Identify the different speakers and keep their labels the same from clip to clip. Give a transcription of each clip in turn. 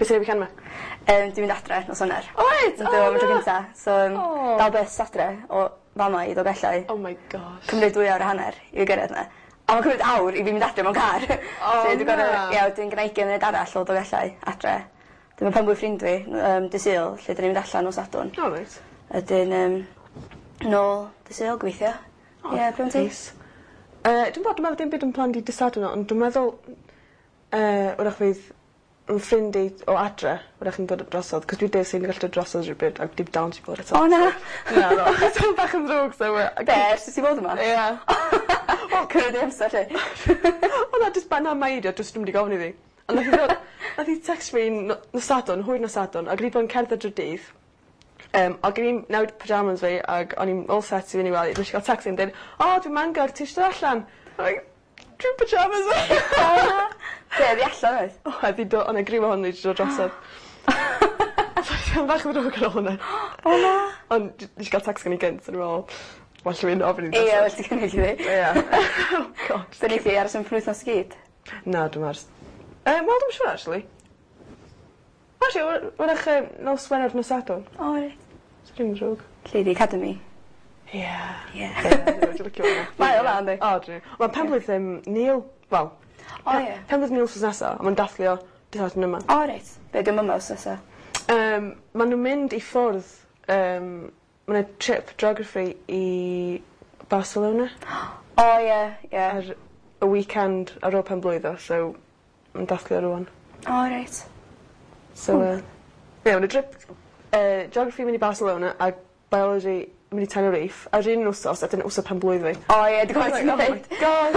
Speaker 1: Be' ti'n neud weekend 'ma?
Speaker 2: Dwi'n mynd adre nos Wener.
Speaker 1: O wyt?
Speaker 2: Yndw am y tro cynta. So yym...
Speaker 1: O.
Speaker 2: Dal bys adre o fa' 'ma i Dolgellau.
Speaker 1: Oh my gosh.
Speaker 2: Cymryd dwy awr a hanner i fi gyrredd 'na. A ma'n cymryd awr i fi mynd adre mewn car.
Speaker 1: O
Speaker 2: Felly dwi gor'o'...
Speaker 1: na!
Speaker 2: Ie wedyn gennai ugian munud arall o Dolgellau adre. 'Dyn ma' pen-blwydd ffrind fi dy' Sul 'lly 'dyn ni'n mynd allan nos Sadwrn.
Speaker 1: O reit.
Speaker 2: Wedyn yym nôl dy' Sul gobeithio.
Speaker 1: O
Speaker 2: Ie be' am ti?
Speaker 1: neis. Dwi'm 'bo' dwi me'wl dim byd yn planned i dy' Sadwrn ond dwi meddwl 'w'rach fydd 'yn ffrind i o adre 'w'rach yn dod drosodd 'c'os dwi des i'm gallu dod drosodd rhywbryd ag dim dawns i fod eto.
Speaker 2: O na!
Speaker 1: Naddo. Tymed bach yn ddrwg so
Speaker 2: Be' ers i ti fod yma?
Speaker 1: Ia.
Speaker 2: Wel cymryd dy amser 'lly.
Speaker 1: Wel na jyst by- na meindio jyst dwi'm 'di gofyn iddi. On' nath 'i ddod nath 'i text fi no- nos Sadwrn hwyr nos Sadwrn ag o'n i 'di bod yn cerdded drwy'r dydd ag o'n i'n newid pyjamas fi ag o'n i'n all set i fyn' i wely nesh i ga'l tecst yn deud o dwi ym Mangor ti isio dod allan? Like dwi 'n pyjamas fi.
Speaker 2: O na! Be' oddi allan oedd?
Speaker 1: Oedd 'di do- o' 'na griw ohonyn n'w 'di dod drosodd. So teimlo bach yn ddrwg ar ôl hwnna.
Speaker 2: O na!
Speaker 1: Ond nesh i ga'l text gen 'i gynt o'n i me'wl well i fi ofyn iddi
Speaker 2: Ie well ti cynnig iddi.
Speaker 1: Ia. Oh God.
Speaker 2: So neith hi aros am penwythnos i gyd?
Speaker 1: Na dwi ars. Wel dwi'm siŵr actually. Actually 'w'rach nos Wener nos Sadwrn.
Speaker 2: O reit.
Speaker 1: So dim drwg.
Speaker 2: Lle 'di academy?
Speaker 1: Ie.
Speaker 2: Ie.
Speaker 1: Ie dwi licio fo 'na.
Speaker 2: Mae o dda yndi?
Speaker 1: O dwi. Wel penblwydd Neil wel...
Speaker 2: O ie.
Speaker 1: Penblwydd Neil wthnos nesa a ma'n dathlu o dy' Sadwrn yma.
Speaker 2: O reit. Be' 'di o'm yma wsos nesa?
Speaker 1: Ma' nw'n mynd i ffwrdd ma' 'na trip geography i Barcelona.
Speaker 2: O ie ie.
Speaker 1: Ar y weekend ar ôl penblwydd o so ma'n dathlu o rŵan.
Speaker 2: O reit.
Speaker 1: So ie ma' 'na trip geography mynd i Barcelona a biology mynd i Tenerife ar un wsos a 'dyn wsos penblwydd fi.
Speaker 2: O ie dwi cofio ti'n
Speaker 1: Oh my
Speaker 2: deud.
Speaker 1: gosh.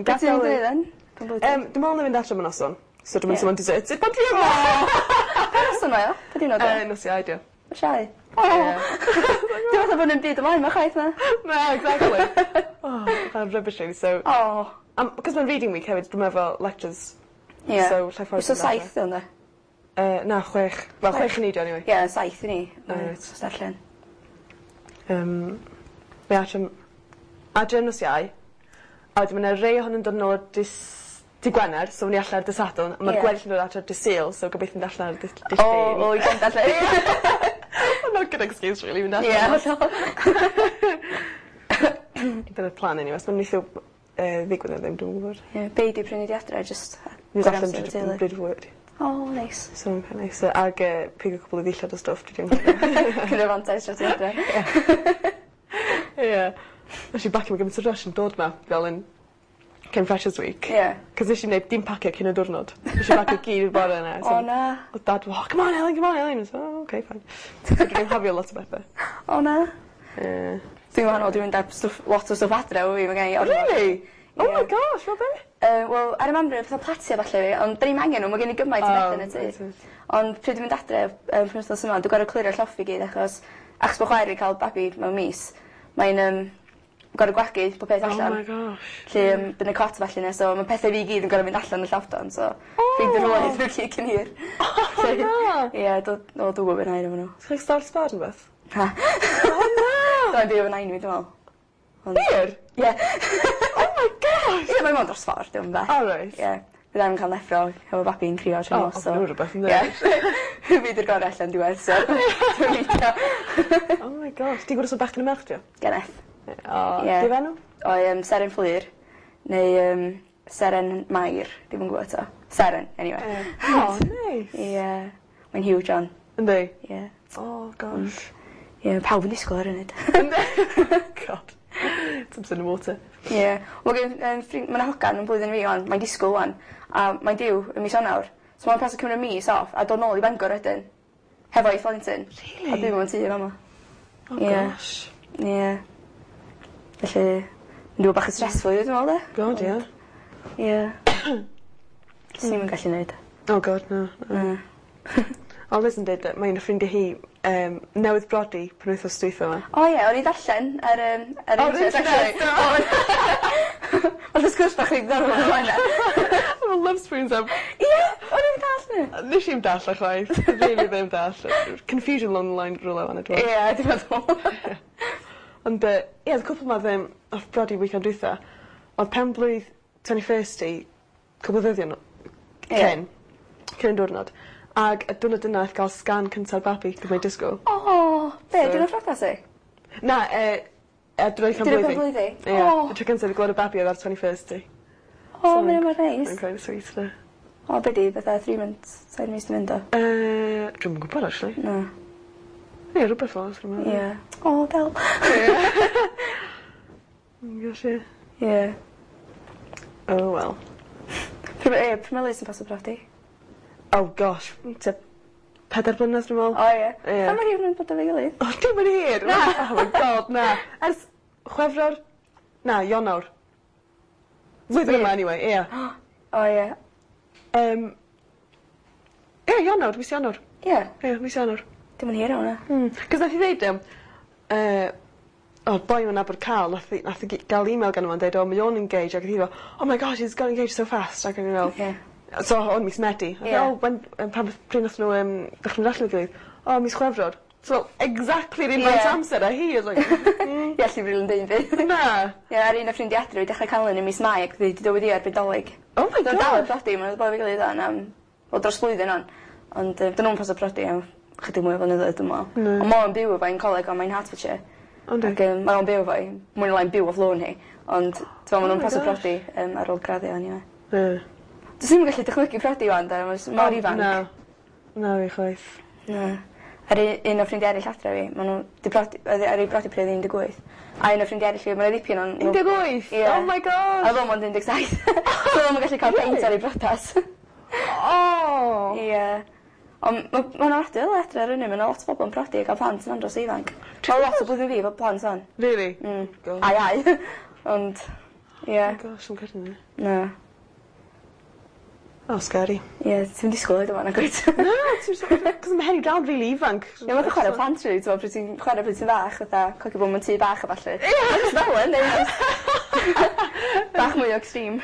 Speaker 2: Be' ti'n mynd i neud then? Penblwydd ti?
Speaker 1: Dwi me'wl 'nai fynd adre am y noson. So dwi mynd
Speaker 2: Ie.
Speaker 1: i want deserted pan dwi yma.
Speaker 2: Pa noson mae o? Pa diwrnod 'di o?
Speaker 1: Nos Iau 'di o.
Speaker 2: Nos Iau? O!
Speaker 1: Ie.
Speaker 2: Dwi fatha bo' 'nim byd ymlaen 'ma chwaith na?
Speaker 1: Na exactly. Oh ma'n rubbish rili so...
Speaker 2: O!
Speaker 1: Am 'c'os ma'n reading week hefyd dwi efo lectures.
Speaker 2: Ie.
Speaker 1: So llai ffordd...
Speaker 2: Wsos saith 'di o ynde?
Speaker 1: Na chwech. Wel chwech i ni 'di o eniwe.
Speaker 2: Ie saith i ni.
Speaker 1: O reit.
Speaker 2: Os darllen.
Speaker 1: Fi adre adre nos Iau a wedyn ma' 'na rei ohonyn nw'n dod nôl dy' dy' Gwener so ni allan ar dy' Sadwrn a ma'r gweddill yn dod adre dy' Sul so gobeithio mynd allan ar dy' ll'
Speaker 2: O
Speaker 1: Llun.
Speaker 2: o weekend allan.
Speaker 1: Well not good excuse rili mynd allan.
Speaker 2: Ie hollol.
Speaker 1: Dyna'r plan eniwe os ma'n neithio ddigwydd neu ddim dwi'm yn gwbod.
Speaker 2: Ie be' 'di prynu di adre jyst
Speaker 1: Mynd allan bryd o fwyd.
Speaker 2: O neis.
Speaker 1: So ma'n quite neis ag pigo cwpwl o ddillad a stwff dwi 'di
Speaker 2: Cymryd fantais dros ti adre.
Speaker 1: Ie. Nesh i bacio mewn gymint o rush yn dod 'ma fel yn cyn Freshers week.
Speaker 2: Ie.
Speaker 1: 'C'os nesh i'm neud dim pacio cyn y diwrnod. Nesh i bacio gyd y bore 'na so...
Speaker 2: O na.
Speaker 1: Odd dad fel o come on Elin come on Elin. I was oh okay fine. So dwi 'di anghofio lot o bethe.
Speaker 2: O na.
Speaker 1: Ie.
Speaker 2: Dwi'n wahanol dwi'n mynd â stwff lot o stwff adre efo fi ma' genna i ormod.
Speaker 1: Rili? Oh my
Speaker 2: Ie.
Speaker 1: gosh fel be'?
Speaker 2: Wel ar y mamre fatha platia ballu fi ond 'dyn ni'm angen n'w ma' gen i gymaint o bethe yn y tŷ.
Speaker 1: O reit.
Speaker 2: Ond pryd dwi'n mynd adre penwthnos yma dwi gor'o' clirio'r llofft i gyd achos achos bo' chwaer fi ca'l babi mewn mis mae'n gor'o' gwagu pob peth allan.
Speaker 1: Oh my gosh.
Speaker 2: 'Lly by' 'na cot a ballu 'na so ma' pethe fi i gyd yn gor'o' mynd allan y llofft ŵan so...
Speaker 1: O!
Speaker 2: Ffeindio rhywle iddyn n'w gyd cyn hir.
Speaker 1: O na!
Speaker 2: Ie do- o dwi wbo be' wnâi efo n'w.
Speaker 1: Ti stafell sbar ne' wbath?
Speaker 2: Na.
Speaker 1: O na!
Speaker 2: Byddai'n byw efo nain fi dwi me'wl. Ond...
Speaker 1: Wir?
Speaker 2: Ie.
Speaker 1: Oh my gosh!
Speaker 2: Ie mae mond dros ffor dim yn bell.
Speaker 1: O reit.
Speaker 2: Ie. Fyddai'm yn ca'l neffro hefo babi'n crio trwy'r
Speaker 1: O
Speaker 2: nos so.
Speaker 1: ofni rwbeth yndi?
Speaker 2: Ie. Fi 'di'r gore allan diwedd so dwi'n meindio.
Speaker 1: Oh my gosh. Ti'n gwbo os ma' bachgen ne' merch 'di o?
Speaker 2: Geneth.
Speaker 1: O.
Speaker 2: Ie.
Speaker 1: Be' 'dd enw?
Speaker 2: O Seren Fflur neu Seren Mair dwi'm yn gwbo 'to. Seren eniwe.
Speaker 1: Ie. O neis.
Speaker 2: Ie. Mae'n huge 'wan.
Speaker 1: Yndi?
Speaker 2: Ie.
Speaker 1: Oh gosh.
Speaker 2: Ie pawb yn disgwl ar 'yn 'fyd.
Speaker 1: Yndi? God. Something in the water.
Speaker 2: Ie. Wel gen ffrin- ma' 'na hogan yn blwyddyn fi 'wan mae'n disgwl 'wan a mae'n diw ym mis Ionawr. So ma'n paso cymryd mis off a dod nôl i Bangor wedyn. Hefo'i phlentyn.
Speaker 1: Rili?
Speaker 2: A byw mewn tŷ yn fama.
Speaker 1: Oh
Speaker 2: Ie.
Speaker 1: gosh.
Speaker 2: Ie. Felly mynd i fod bach yn stressful i fi dwi me'wl 'de?
Speaker 1: God ie.
Speaker 2: Ie. Swn i'm yn gallu neud.
Speaker 1: Oh God na.
Speaker 2: Na.
Speaker 1: O Liz yn deud yy mae un o ffrindia hi newydd brodi penwythnos dwytha 'ma.
Speaker 2: O ie o'n i darllen ar yym ar
Speaker 1: Ar
Speaker 2: internet
Speaker 1: internet
Speaker 2: actually. O'dd y sgwrs bach reit ddiddorol o flaen 'na.
Speaker 1: Efo love spoons am...
Speaker 2: Ie o'n i'm yn dallt 'ny.
Speaker 1: Nesh i'm dallt o chwaith. Rili ddim dallt. Confusion along the line rywle fan 'na dwi me'wl.
Speaker 2: Ie dwi meddwl.
Speaker 1: Ond yy ie o'dd cwpwl 'ma ddim nath brodi weekend dwytha o'dd penblwydd twenty first hi cwpwl o ddyddia' nô-...
Speaker 2: Ie.
Speaker 1: ...cyn. Cyn diwrnod. Ag y diwrnod yna nath ga'l sgan cynta'r babi 'c'os mae disgwl.
Speaker 2: O! Be'? Diwrnod priodas hi?
Speaker 1: Na yy diwrnod pen blwydd fi.
Speaker 2: Diwrnod pen blwydd hi?
Speaker 1: Ie.
Speaker 2: O!
Speaker 1: Y tro cynta fi gweld y babi odd ar twenty first hi.
Speaker 2: O ma' wnna mor neis.
Speaker 1: Mae'n quite sweet 'de?
Speaker 2: O be' 'di fatha three months tair mis 'di mynd o?
Speaker 1: Dwi'm yn gwbod actually.
Speaker 2: Na.
Speaker 1: Ie rwbeth fel 'a swn i'n meddwl.
Speaker 2: Ie. O del.
Speaker 1: Ie. Oh gosh ie.
Speaker 2: Ie.
Speaker 1: Oh well.
Speaker 2: Pry' ma' ie pry' ma' Liz yn pasio prodi?
Speaker 1: Oh gosh tua pedair blynedd dwi me'wl.
Speaker 2: O ie.
Speaker 1: Ie.
Speaker 2: Pa mor hir ma' nw'n bod efo'i gilydd?
Speaker 1: O dim yn hir.
Speaker 2: Na.
Speaker 1: Oh my God na. Ers Chwefror? Na Ionawr. Flwyddyn yma anyway ie.
Speaker 2: O ie.
Speaker 1: Ie Ionawr mis Ionawr.
Speaker 2: Ie.
Speaker 1: Ie mis Ionawr.
Speaker 2: Dim yn hir iawn na.
Speaker 1: 'C'os nath hi ddeud o boi ma'n nabod Ca'l nath 'i nath 'i ga'l email gano fo yn deud o mae o'n engaged ag o'dd hi fel oh my gosh he's got engaged so fast ag o'n i fel...
Speaker 2: Ie.
Speaker 1: So o'n mis Medi.
Speaker 2: Ie.
Speaker 1: O when pan pryd nath nw dechre mynd allan efo'i gilydd? O mis Chwefror. So exactly'r un faint amser a hi I was like.
Speaker 2: Ie allu rili'n deud 'im byd.
Speaker 1: Na.
Speaker 2: Ie a'r un o ffrindia adre wedi dechre ca'l un yn mis Mai ac 'di dyweddio erbyn 'Dolig.
Speaker 1: Oh my
Speaker 2: Dal yn
Speaker 1: gosh.
Speaker 2: prodi ma' n'w 'di bod efo'i gilydd ŵan am wel dros blwyddyn ŵan. Ond 'dyn nw'm pasio prodi am chydig mwy o flynyddoedd dwi me'wl.
Speaker 1: Na.
Speaker 2: On' ma' o'n byw efo 'i'n coleg on' mae'n Hertfordshire.
Speaker 1: O yndi?
Speaker 2: Ac mae o'n byw efo 'i. Mwy ne' lai'n byw off lôn hi. Ond t'mo' ma' nw'n
Speaker 1: Oh my
Speaker 2: pasio
Speaker 1: gosh.
Speaker 2: prodi ar ôl graddio eniwe.
Speaker 1: Ie.
Speaker 2: Dwi ddim yn gallu dychmygu prodi ŵan 'de ma' jys mor ifanc.
Speaker 1: Na. Na fi chwaith.
Speaker 2: Na. A'r un o ffrindia eryll adre fi ma' n'w 'di prodi oedd 'i ar 'u brodi pryd oedd 18. A un o ffrindia eryll fi ma' 'na ddipyn o'n n'w...
Speaker 1: 18?
Speaker 2: Ie.
Speaker 1: Oh my gosh.
Speaker 2: A o'dd o mond 17. So o'dd o'm yn gallu ca'l peint ar ei brodas.
Speaker 1: O!
Speaker 2: Ie. On' ma' ma'n ofnadwy o adre ar 'yn ma' 'na lot o bobol yn prodi a ga'l plant yn andros o ifanc. Ma' lot o blwyddyn fi efo plant ŵan.
Speaker 1: Rili?
Speaker 2: Mm.
Speaker 1: God.
Speaker 2: A iau. Ond ie.
Speaker 1: Oh gosh 'im credu 'ny.
Speaker 2: Na.
Speaker 1: Oh scary.
Speaker 2: Ie ti'm disgwl oed yma nagwyt?
Speaker 1: Na ti'n 'cos ma' Henry dal rili ifanc.
Speaker 2: Ie ma'n chware plant rili t'mo' pryd ti'n chware pryd ti'n fach fatha cocio bo' mewn tŷ bach a ballu.
Speaker 1: Ie!
Speaker 2: Ma' jyst fel 'a yndi? Bach mwy o extreme.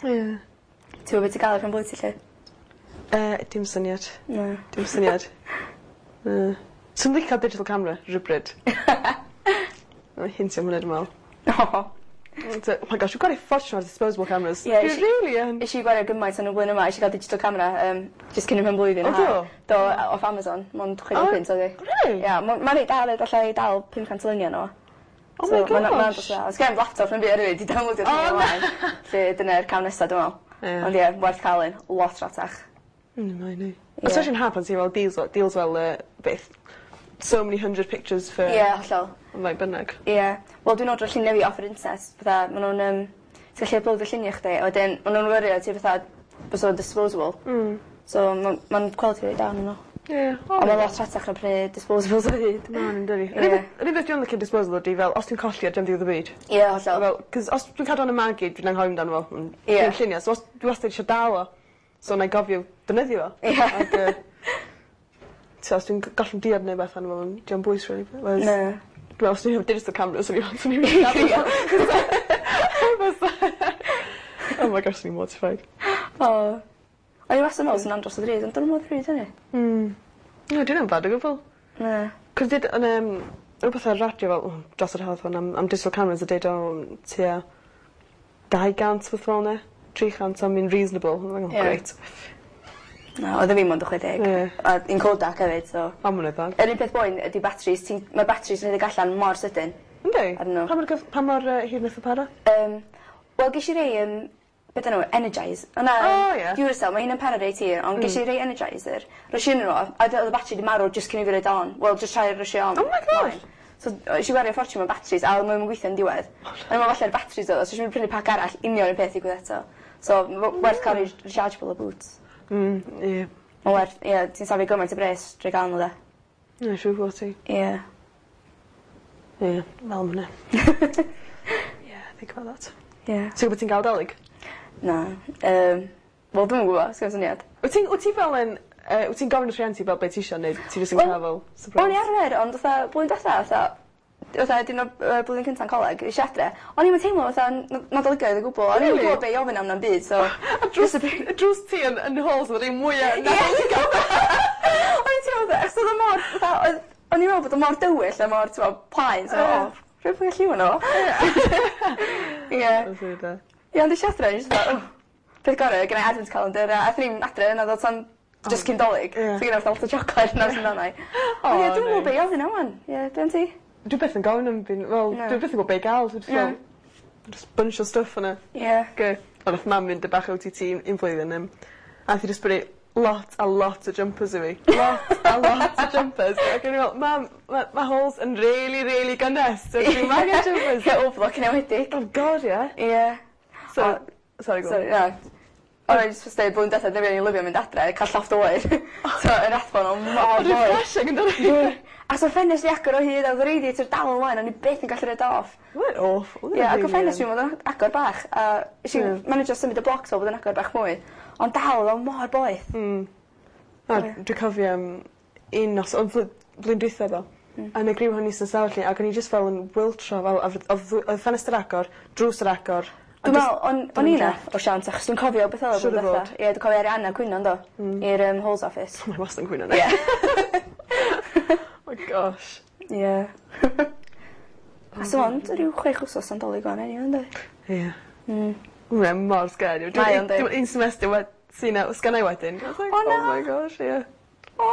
Speaker 1: Ie.
Speaker 2: Ti wbo be' ti ga'l ar pen blwydd ti 'lly?
Speaker 1: Dim syniad.
Speaker 2: Na.
Speaker 1: Dim syniad. Na. Swn licio digital camera rywbryd. Mae'n hintio am hwnna dwi me'wl.
Speaker 2: O!
Speaker 1: Oh my gosh we've got a ffortiwn ar disposable cameras.
Speaker 2: Ie
Speaker 1: Dwi
Speaker 2: nesh i
Speaker 1: rili yn.
Speaker 2: Nesh i gwario gymaint yn y blwyddyn yma eisiau ga'l digital camera jyst cyn 'y mhen blwydd
Speaker 1: O do?
Speaker 2: Do off Amazon mond 60 punt oedd 'i.
Speaker 1: Rili?
Speaker 2: Ia ma' ma'n reit da 'fyd allai dal 500 o lunia arno fo.
Speaker 1: Oh my
Speaker 2: So ma'n ma'n
Speaker 1: gosh.
Speaker 2: dod o Sgen i'm laptop na'm byd erioed i downloadio
Speaker 1: O na.
Speaker 2: ymlaen. 'Lly dyna'r cam nesa dwi me'wl.
Speaker 1: Ie.
Speaker 2: Ond ie werth ca'l un. Lot rhatach.
Speaker 1: Mae 'ny.
Speaker 2: Ie.
Speaker 1: Especially yn haf pan ti fel deals fel deals fel beth so many hundred pictures for...
Speaker 2: Ie hollol.
Speaker 1: Faint bynnag.
Speaker 2: Ie. Wel dwi'n ordro llunia fi off yr internet fatha ma' nw'n ti'n gallu uploadio llunia chdi a wedyn ma' nw'n wirio ti fatha bysa fo'n disposable. So ma' ma'n quality reit da arnyn n'w.
Speaker 1: Ie.
Speaker 2: On' ma' lot rhatach na prynu disposables o hyd.
Speaker 1: Ma' nw'n dydi?
Speaker 2: Ie.
Speaker 1: Yr unig yr unig beth dwi yn licio disposable ydi fel os dwi'n colli o dim diwedd y byd.
Speaker 2: Ie hollol.
Speaker 1: Fel 'cos os dwi'n cadw yn 'y mag i dwi'n anghofio amdano fo.
Speaker 2: Ie.
Speaker 1: Dwi'n llunia so os dwi wastad isio dal o so 'nai gofio defnyddio fo.
Speaker 2: Ie.
Speaker 1: Ag t'o' os dwi'n gollwng diod neu wbath arno fo ma'n dio'm bwys rili whereas...
Speaker 2: Na.
Speaker 1: Dwi me'wl os dwi hefo digital camera swn i swn i rili gadw fo. Oh my gosh swn i'n mortified.
Speaker 2: O. O'n i wastad yn me'wl sa'n andros o ddrud ond 'dyn nw'm mor ddrud â 'ny.
Speaker 1: Na 'di wna'm bad o gwbwl.
Speaker 2: Na.
Speaker 1: 'C'os did o'n rwbeth ar radio fel dros yr haf hwn am digital cameras a deud o tua 200 wbath fel 'na. 300 am un reasonable. O'n i'n meddwl
Speaker 2: Ie.
Speaker 1: grêt.
Speaker 2: Na oedd o fi mond y 60.
Speaker 1: Ie.
Speaker 2: A un Kodak hefyd so.
Speaker 1: O ma' wnna dda.
Speaker 2: Yr un peth boen ydi batteries ti'n ma'r batteries yn rhedeg allan mor sydyn.
Speaker 1: Yndi?
Speaker 2: Arnyn nhw.
Speaker 1: Pa mor gyf- pa mor hir nath o para?
Speaker 2: Wel gesh i rei be' 'dyn nw Energize. O na.
Speaker 1: O ie.
Speaker 2: Duracell ma' hynna'n para reit hir ond gesh i rei Energizer roish i ynno fo a o'dd y battery 'di marw jyst cyn i fi roid o on. Wel jyst try rwsio on.
Speaker 1: Oh my gosh.
Speaker 2: So nesh i wario ffortiwn mewn batteries a o'dd o ddim yn gweithio yn diwedd. O'n i'n me'wl falle'r batteries o'dd o so nesh i prynu pac arall union un peth digwydd eto. So werth ca'l rei rechargeable o Boots.
Speaker 1: Ie.
Speaker 2: Ma'n werth ie ti'n safio gymaint o bres drwy ga'l n'w 'de.
Speaker 1: Ie siŵr fod ti.
Speaker 2: Ie.
Speaker 1: Ie, fel ma' wnna. Ie, think about that.
Speaker 2: Ie.
Speaker 1: Ti'n gwbod ti'n ga'l 'Dolig?
Speaker 2: Na. Wel dwi'm yn gwbo sgin i'm syniad.
Speaker 1: Wyt ti'n wyt ti fel yn wyt ti'n gofyn wrth rhieni fel be' ti isio neu ti jyst yn
Speaker 2: Wel,
Speaker 1: ca'l fel surprise?
Speaker 2: O'n i arfer ond fatha blwyddyn dwetha fatha fatha diwrnod blwyddyn cynta'n coleg es i adre o'n i'm yn teimlo fatha Nadoligaidd o gwbwl o'n i'm yn
Speaker 1: Rili?
Speaker 2: gwbo be' i ofyn am na'm byd so
Speaker 1: A drws y drws ti yn halls o'dd yr un mwya Nadoligaidd.
Speaker 2: O'n i'n teimlo fatha achos o'dd o mor fatha oedd o'n i'n me'wl bod o mor dywyll a mor t'mo' plaen so
Speaker 1: Ie.
Speaker 2: o rhyw pwy lliw yno fo. Ie.
Speaker 1: Lyfli 'de.
Speaker 2: Ie ond es i adre o'n i jyst fatha o. Peth gorau, gen i advent calendar a athon ni'm adre naddo tan just cyn 'Dolig.
Speaker 1: Ie.
Speaker 2: So gynna i fatha lot o chocolate nos amdanai.
Speaker 1: O
Speaker 2: Ond ie dwi'm yn gwbo
Speaker 1: neis.
Speaker 2: be' i ofyn am 'wan. Ie be' am ti?
Speaker 1: Dwi byth yn gofyn am bin fel...
Speaker 2: Na.
Speaker 1: Dwi byth yn gwbo be' i ga'l so jyst
Speaker 2: Na.
Speaker 1: fel jyst bunch o stwff yna.
Speaker 2: Ie.
Speaker 1: Ge- On' nath mam mynd y bach ow tee tee un flwyddyn a nath 'i jyst brynu lot a lot o jumpers i fi. Lot a lot o jumpers ac o'n i fel mam ma' ma' halls yn rili rili gynnes so dwi'm angen jumpers.
Speaker 2: Ie overlock yn enwedig.
Speaker 1: Oh god ie.
Speaker 2: Ie.
Speaker 1: So
Speaker 2: O-
Speaker 1: sorry go on.
Speaker 2: Sori na. O'n i jyst deud blwyddyn dwetha dwi rili lyfio mynd adre a ca'l llofft oer. So yr Rathbone o' mor
Speaker 1: Ond
Speaker 2: boeth.
Speaker 1: refreshing yndydi?
Speaker 2: Ie. A so'r ffenest 'di agor o hyd a o'dd y radiator dal ymlaen o'n i byth yn gallu roid o off.
Speaker 1: Mae'n awful.
Speaker 2: Ie ac o ffenest fi o'dd o'n agor bach a nesh i
Speaker 1: Ie.
Speaker 2: manejio symud y blocs o fod yn agor bach mwy ond dal o'dd o mor boeth.
Speaker 1: Na dwi cofio un nos ond blwyddyn dwytha ddo. A yn y griw hynny sy'n sefyll ni ac o'n i jyst fel yn wiltro fel a o'dd o'dd ffenest ar agor, drws ar agor. a
Speaker 2: Dwi'n
Speaker 1: jyst
Speaker 2: me'wl o'n o'n i 'na o siawns achos dwi'n cofio beth o'dd o
Speaker 1: Siŵr o
Speaker 2: blwyddyn dwetha.
Speaker 1: fod.
Speaker 2: Ie dwi'n cofio Arianna cwyno yndo? I'r Halls Office.
Speaker 1: Mae wastad yn cwyno yna.
Speaker 2: Ie.
Speaker 1: Oh gosh.
Speaker 2: Ie. A so ond ryw chwech wsos am 'Dolig ŵan eniwe yndi?
Speaker 1: Ie. Mae'n mor scary.
Speaker 2: Mae o yndi.
Speaker 1: Dwi'n un semester sy'n sgynna i wedyn. I was like,
Speaker 2: O, na.
Speaker 1: Oh my gosh, ie.
Speaker 2: O!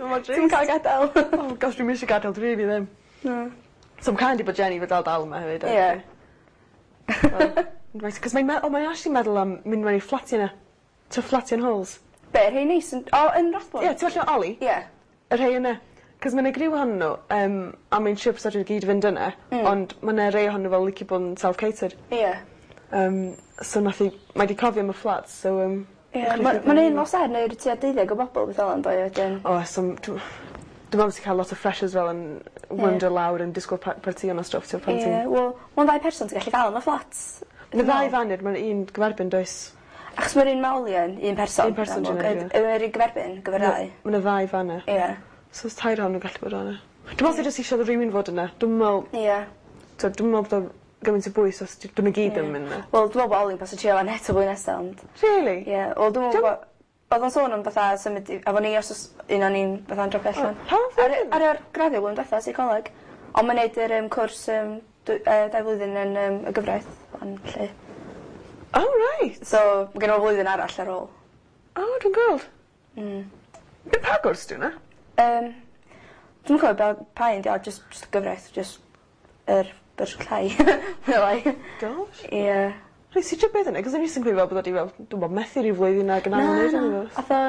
Speaker 1: Mor drist.
Speaker 2: Ti'm ca'l gadal.
Speaker 1: Oh gosh, dwi'm eisiau gadael, dwi really ddim.
Speaker 2: Na.
Speaker 1: So I'm kind of bod Jenny fod dal yma hefyd.
Speaker 2: Ie.
Speaker 1: Right, cos mae'n oh, mae'n actually meddwl am mynd mewn i'r fflatiau yna. To fflatiau yn halls.
Speaker 2: Be' rhei neis yn o yn Rathbone?
Speaker 1: Ie, ti'n meddwl Oli?
Speaker 2: Ie.
Speaker 1: Y rhei yna. Cos mae'n griw ohonyn nhw, a mae'n siŵr bysa nhw gyd fynd yna, ond mae 'na rei ohonyn nhw fel licio bod yn self-catered.
Speaker 2: Ie.
Speaker 1: So nath i, mae 'di cofio am y flats, so...
Speaker 2: Ie, ma' ma'n un nos er neu tua deuddeg o bobol beth fel 'a yndo wedyn.
Speaker 1: O, so dwi'n meddwl sy'n cael lot o freshers fel yn wander lawr yn disgwyl partïon a stwff, ti'n pan
Speaker 2: Ie,
Speaker 1: ti'n...
Speaker 2: wel, ma'n ddau person ti'n gallu gael yn y fflat.
Speaker 1: Mae ddau fan mae'n un gyferbyn, does?
Speaker 2: Achos mae'r un Maoli yn un person.
Speaker 1: Un person
Speaker 2: yn amlwg.
Speaker 1: dwi'n meddwl,
Speaker 2: Yr un gyferbyn, gyfer ddau.
Speaker 1: Mae 'na ddau fan 'na.
Speaker 2: Ie.
Speaker 1: So os tair ohonyn nhw'n gallu bod yna. Dwi'n meddwl sy'n jyst eisiau rhywun fod yna. Dwi'n meddwl,
Speaker 2: Ie.
Speaker 1: dwi'n meddwl bod o gymaint o bwys os dyn nhw gyd yn mynd yna.
Speaker 2: Wel, dwi'n meddwl bod Oli'n pasio trio fan eto blwyddyn nesa, ond...
Speaker 1: Really?
Speaker 2: Ie, wel, dwi'n meddwl bod... Oedd o'n sôn am fatha symud i... Efo ni os oes un o'n i'n fatha'n dropio allan.
Speaker 1: Pa flwyddyn?
Speaker 2: Ar yr graddio blwyddyn diwetha, seicoleg. Ond mae'n neud yr cwrs 2 flwyddyn yn y gyfraith. Ond lle.
Speaker 1: Oh, right.
Speaker 2: So, mae gen i fo flwyddyn arall ar ôl.
Speaker 1: Oh, dwi'n gweld. Pa gwrs di hwnna?
Speaker 2: Dwi'm yn cofio pa un 'di o, just gyfraith, just yr fersiwn llai. Mwy neu lai.
Speaker 1: Gosh.
Speaker 2: Ie.
Speaker 1: Reit, ti'n beth yna? Cos o'n i jyst yn credu fel bod o 'di fel, dwi'n bod methu rhyw flwyddyn ag yn
Speaker 2: Na,
Speaker 1: anodd
Speaker 2: na.
Speaker 1: neud
Speaker 2: Ath o,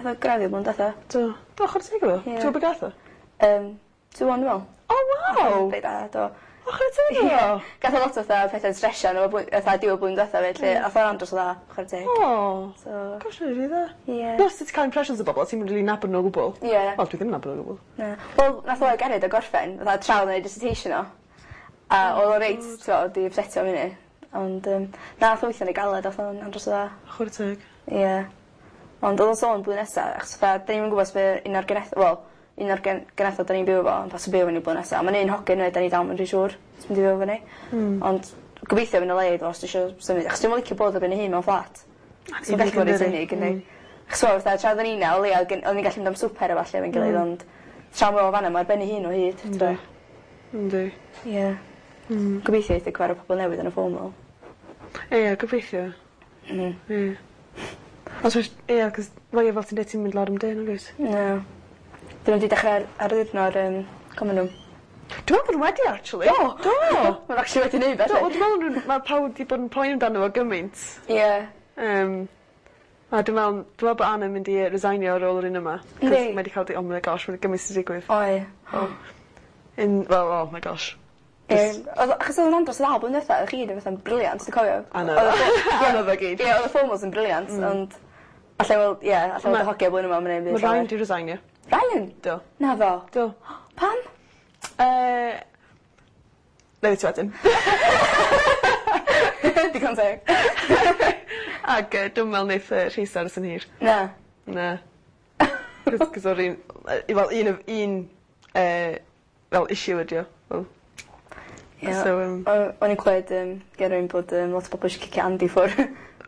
Speaker 2: ath o graddio blwyddyn diwetha.
Speaker 1: Do. Do, chwarae teg iddo.
Speaker 2: Ie.
Speaker 1: Ti'n gwybod be gath o?
Speaker 2: 2-1 dwi'n meddwl.
Speaker 1: Oh, waw!
Speaker 2: Reit dda, do.
Speaker 1: O, chwarae teg iddo.
Speaker 2: Gath o lot o fatha pethau'n stresio arno fo fatha diwedd blwyddyn diwetha fyd, lle ath o'n andros o dda, chwarae teg.
Speaker 1: O.
Speaker 2: So,
Speaker 1: Gosh, mae'n rili dda.
Speaker 2: Ie.
Speaker 1: No, os ti'n cael impressions o bobl, ti'n mynd rili nabod nhw o gwbl.
Speaker 2: Ie.
Speaker 1: Wel, dwi ddim yn nabod nhw o gwbl.
Speaker 2: Na. Wel, nath o Gerrit o gorffen, fatha tra oedd o'n neud dissertation o. A oedd o reit, t'mo', 'di upsetio am hynny. Ond na, nath o weithio'n reit galed, ath o'n andros o dda.
Speaker 1: Chwarae teg.
Speaker 2: Ie. Ond oedd o'n sôn blwyddyn nesa, achos fatha, da ni'm yn gwybod os bydd un o'r geneth... Wel, un o'r genethod da ni'n byw efo, yn pasio byw efo ni blwyddyn nesa. Mae'n un hogyn hefyd, da ni dal yn rhy siŵr os mynd i fyw efo ni. Ond gobeithio fydd 'na le iddo fo os dwi isio symud, achos dwi'm yn licio bod ar ben 'y hun mewn fflat. Ti'n gallu bod reit unig, yndi? Achos wel, fatha, tra oedden ni 'na, o leia, oedden ni'n gallu mynd am swper a ballu efo'n gilydd, ond tra mae o fan'na, mae ar ben ei hun o hyd.
Speaker 1: Yndi. Yndi.
Speaker 2: Ie. Gobeithio eith o cyfarfod pobl newydd yn y formal.
Speaker 1: Ie, gobeithio. Ie. Os oes, ie, cos fel fel ti'n dweud ti'n mynd lawr am dyn, nag oes?
Speaker 2: Na. Dyn nhw wedi dechrau ar ddiwrnod common room.
Speaker 1: Dwi'n meddwl bod nhw wedi, actually. Do! Do!
Speaker 2: Mae'n actually wedi neud
Speaker 1: Do,
Speaker 2: felly.
Speaker 1: dwi'n meddwl mae pawb wedi bod yn poeni amdano fo gymaint.
Speaker 2: Ie.
Speaker 1: A dwi'n meddwl bod Anna'n mynd i resignio ar ôl yr un yma.
Speaker 2: Yndi.
Speaker 1: Cos mae wedi cael di, oh my gosh, mae'n gymaint sy'n digwydd.
Speaker 2: Oi.
Speaker 1: In, well, oh my gosh.
Speaker 2: Ie. Achos oedd o'n andros o dda blwyddyn diwetha, o'ch chi gyd yn fatha'n brilliant, dwi'n cofio.
Speaker 1: Anodd.
Speaker 2: Oedd y
Speaker 1: Anodd o gyd.
Speaker 2: Ie, oedd y formals yn brilliant, ond allai weld, ie, allai weld y hogia blwyddyn yma, mae'n neud
Speaker 1: Mae Ryan di resignio.
Speaker 2: Ryan?
Speaker 1: Do.
Speaker 2: Na fo.
Speaker 1: Do.
Speaker 2: Pam?
Speaker 1: Na i ti wedyn.
Speaker 2: Digon teg.
Speaker 1: Ac dwi'n meddwl neith Rhys aros yn hir.
Speaker 2: Na.
Speaker 1: Na. Cos o'r un, fel un, of- un fel issue ydi o. Fel,
Speaker 2: Ie.
Speaker 1: So,
Speaker 2: O'n i'n clywed gen rhywun bod lot o bobl eisiau cicio Andy ffwr.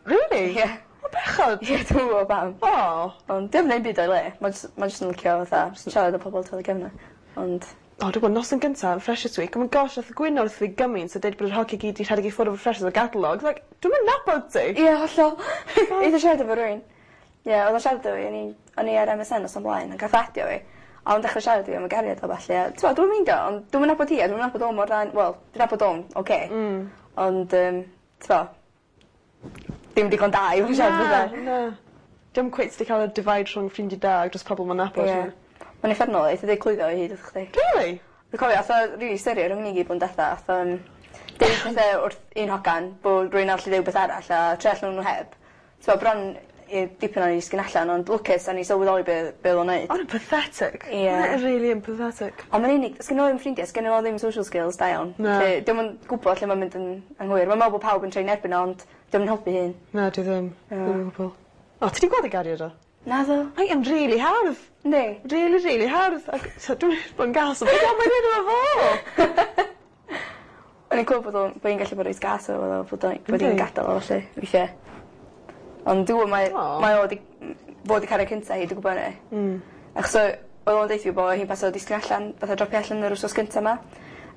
Speaker 1: Really?
Speaker 2: Ie.
Speaker 1: O bechod.
Speaker 2: Ie, dwi'n gwybod pam.
Speaker 1: O.
Speaker 2: Ond diom yn neud byd o'i le. Mae jyst yn licio fatha siarad â pobl tu ôl i gefn o. Ond
Speaker 1: O dwi gwbod noson gynta yn Freshers Week oh my gosh nath y gwyno wrth fi gymaint a deud bod yr hogie gyd 'di rhedeg i ffwr' efo Freshers o Gatalog like dwi'm yn nabod ti!
Speaker 2: Ie hollol. Eitha siarad efo rywun. Ie odd o'n siarad efo fi o'n i'n o'n i ar Em Ess En noson blaen a gath adio fi a o'n dechre siarad i fi am 'i gariad o ballu a t'mod dwi'm yn meindio ond dwi'm yn nabod hi a dwi'm yn nabod o mor dda wel dwi nabod o'n oce. Ond t'mo' dim digon da i fo' yn siarad fatha.
Speaker 1: Na na. Dim cweit 'di ca'l y divide rhwng ffrindie da a jyst pobol ma'n nabod.
Speaker 2: Ie. Ma'n uffernol eitha deud clwyddo o hyd wrth chdi.
Speaker 1: Rili?
Speaker 2: Dwi cofio ath o rili serious rhwng ni gyd blwyddyn detha ath yym deud pethe wrth un hogan bo' rywun arall 'di deu wbath arall a troi allan o'n n'w heb. T'mo' bron i dipyn o'n i disgyn allan ond lwcus o'n i sylweddoli be' be' o'dd o'n neud.
Speaker 1: O' wnna'n pathetic.
Speaker 2: Ie.
Speaker 1: Ma' wnna rili yn pathetic.
Speaker 2: On' ma'n unig sgenno fo ddim ffrindie sgenno fo ddim social skills da iawn.
Speaker 1: Na.
Speaker 2: Felly 'di o'm yn gwbo lle ma'n mynd yn anghywir. Ma'n me'wl bo' pawb yn troi'n erbyn o ond 'di o'm yn helpu hun.
Speaker 1: Na dwi ddim.
Speaker 2: Na.
Speaker 1: Ddim o gwbwl. O ti 'di gweld ei gariad o?
Speaker 2: Naddo.
Speaker 1: Mae e'n rili hardd.
Speaker 2: Yndi.
Speaker 1: Rili rili hardd ac so dwi bod yn gas ond beth am mae'n neud efo fo?
Speaker 2: O'n i'n clywed bod o'n bo' 'i'n gallu bod reit gas efo fo bod o'n bod 'i'n
Speaker 1: Yndi.
Speaker 2: gadal o felly weithie. Ond dwi mae
Speaker 1: Aw.
Speaker 2: mae o 'di fo 'di cariad cynta hi dwi gwbo 'ny. Achos o- o'dd o'n deutha fi bo' hi'n paso disgyn allan fatha dropio allan yr wsos gynta 'ma.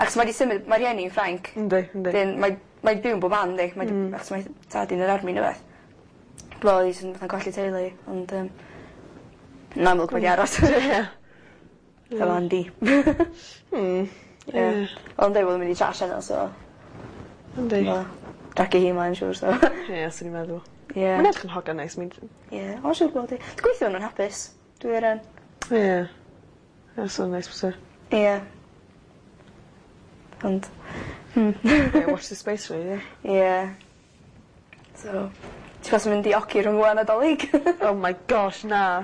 Speaker 2: Achos mae 'di symud ma' rhieni 'i'n Ffrainc.
Speaker 1: Yndi yndi.
Speaker 2: 'Dyn mae mae byw yn bob man 'di mae 'di... Achos mae tad 'i'n yr army ne' wbath. Dwi me'wl 'i jys yn fatha colli teulu ond yn amlwg mae 'di aros.
Speaker 1: Ie.
Speaker 2: Efo Andy. Ie.
Speaker 1: Ie.
Speaker 2: O'dd o'n deu bod o'n mynd i trash heno so
Speaker 1: Yndi.
Speaker 2: wel dragio hi mlaen siŵr so.
Speaker 1: Ie swn i'n meddwl.
Speaker 2: Ie.
Speaker 1: Mae'n edrych yn hogan neis mi'n
Speaker 2: Ie o siŵr bod 'i. Dwi gobeithio ma' nw'n hapus. Dwi wir yn.
Speaker 1: Ie. Ie sa'n neis byse.
Speaker 2: Ie. Ond.
Speaker 1: Ie watch this space really ie?
Speaker 2: Ie. So ti fasa mynd i oci rhwng ŵan a 'Dolig?
Speaker 1: Oh my gosh na.